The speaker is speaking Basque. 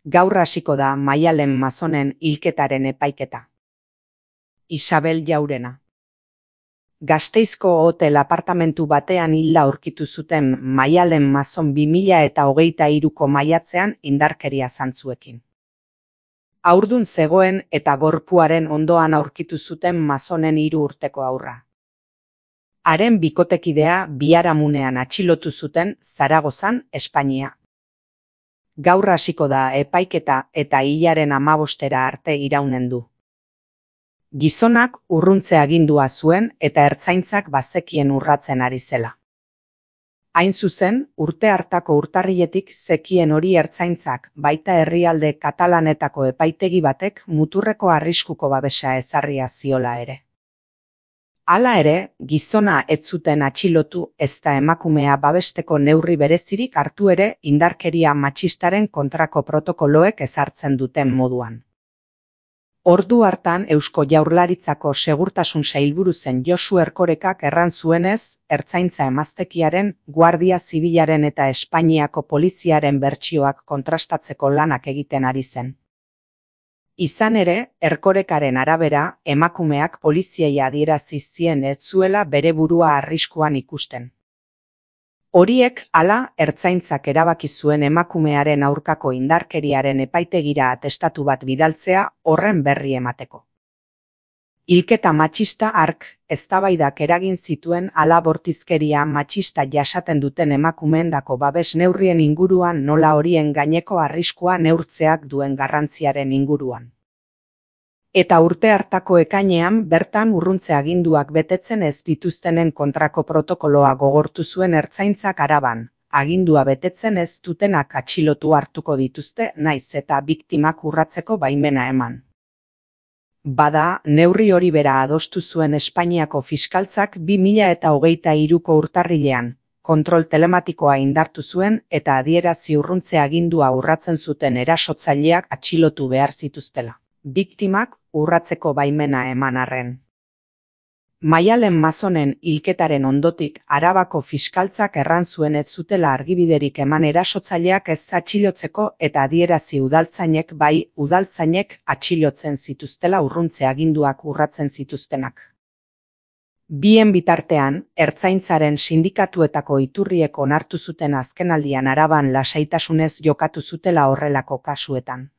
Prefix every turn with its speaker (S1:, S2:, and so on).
S1: Gaur hasiko da Maialen Mazonen hilketaren epaiketa. Isabel Jaurena. Gasteizko hotel apartamentu batean hilda aurkitu zuten Maialen Mazon 2023ko maiatzean indarkeria zantzuekin. Haurdun zegoen eta gorpuaren ondoan aurkitu zuten Mazonen 3 urteko haurra. Haren bikotekidea biharamunean atxilotu zuten Zaragozan, Espainia. Gaur hasiko da epaiketa eta hilaren 15 arte iraunen du. Gizonak urruntze agindua zuen eta ertzaintzak bazekien urratzen ari zela. Hain zuzen, urte hartako urtarriletik zekien hori ertzaintzak baita herrialde katalanetako epaitegi batek muturreko arriskuko babesa ezarria ziola ere. Hala ere, gizona ez zuten atxilotu ezta emakumea babesteko neurri berezirik hartu ere indarkeria matxistaren kontrako protokoloek ezartzen duten moduan. Ordu hartan Eusko Jaurlaritzako segurtasun sailburu zen Josu Erkorekak erran zuenez, ertzaintza emaztekiaren, Guardia Zibilaren eta Espainiako poliziaren bertsioak kontrastatzeko lanak egiten ari zen. Izan ere, Erkorekaren arabera, emakumeak poliziei adierazi zien ez zuela bere burua arriskuan ikusten. Horiek, hala, ertzaintzak erabaki zuen emakumearen aurkako indarkeriaren epaitegira atestatu bat bidaltzea horren berri emateko. Hilketa matxista hark, eztabaidak eragin zituen hala bortizkeria matxista jasaten duten emakumeendako babes neurrien inguruan nola horien gaineko arriskua neurtzeak duen garrantziaren inguruan. Eta urte hartako ekainean bertan urruntze aginduak betetzen ez dituztenen kontrako protokoloa gogortu zuen ertzaintzak Araban, agindua betetzen ez dutenak atxilotu hartuko dituzte naiz eta biktimak urratzeko baimena eman. Bada, neurri hori bera adostu zuen Espainiako fiskaltzak 2023ko urtarrilean, kontrol telematikoa indartu zuen eta adierazi urruntze agindua urratzen zuten erasotzaileak atxilotu behar zituztela. Biktimak urratzeko baimena eman arren. Maialen Mazonen hilketaren ondotik Arabako fiskaltzak erran zuen ez zutela argibiderik eman erasotzaileak ez atxilotzeko eta adierazi udaltzainek bai udaltzainek atxilotzen zituztela urruntze aginduak urratzen zituztenak. Bien bitartean, ertzaintzaren sindikatuetako iturriek onartu zuten azkenaldian Araban lasaitasunez jokatu zutela horrelako kasuetan.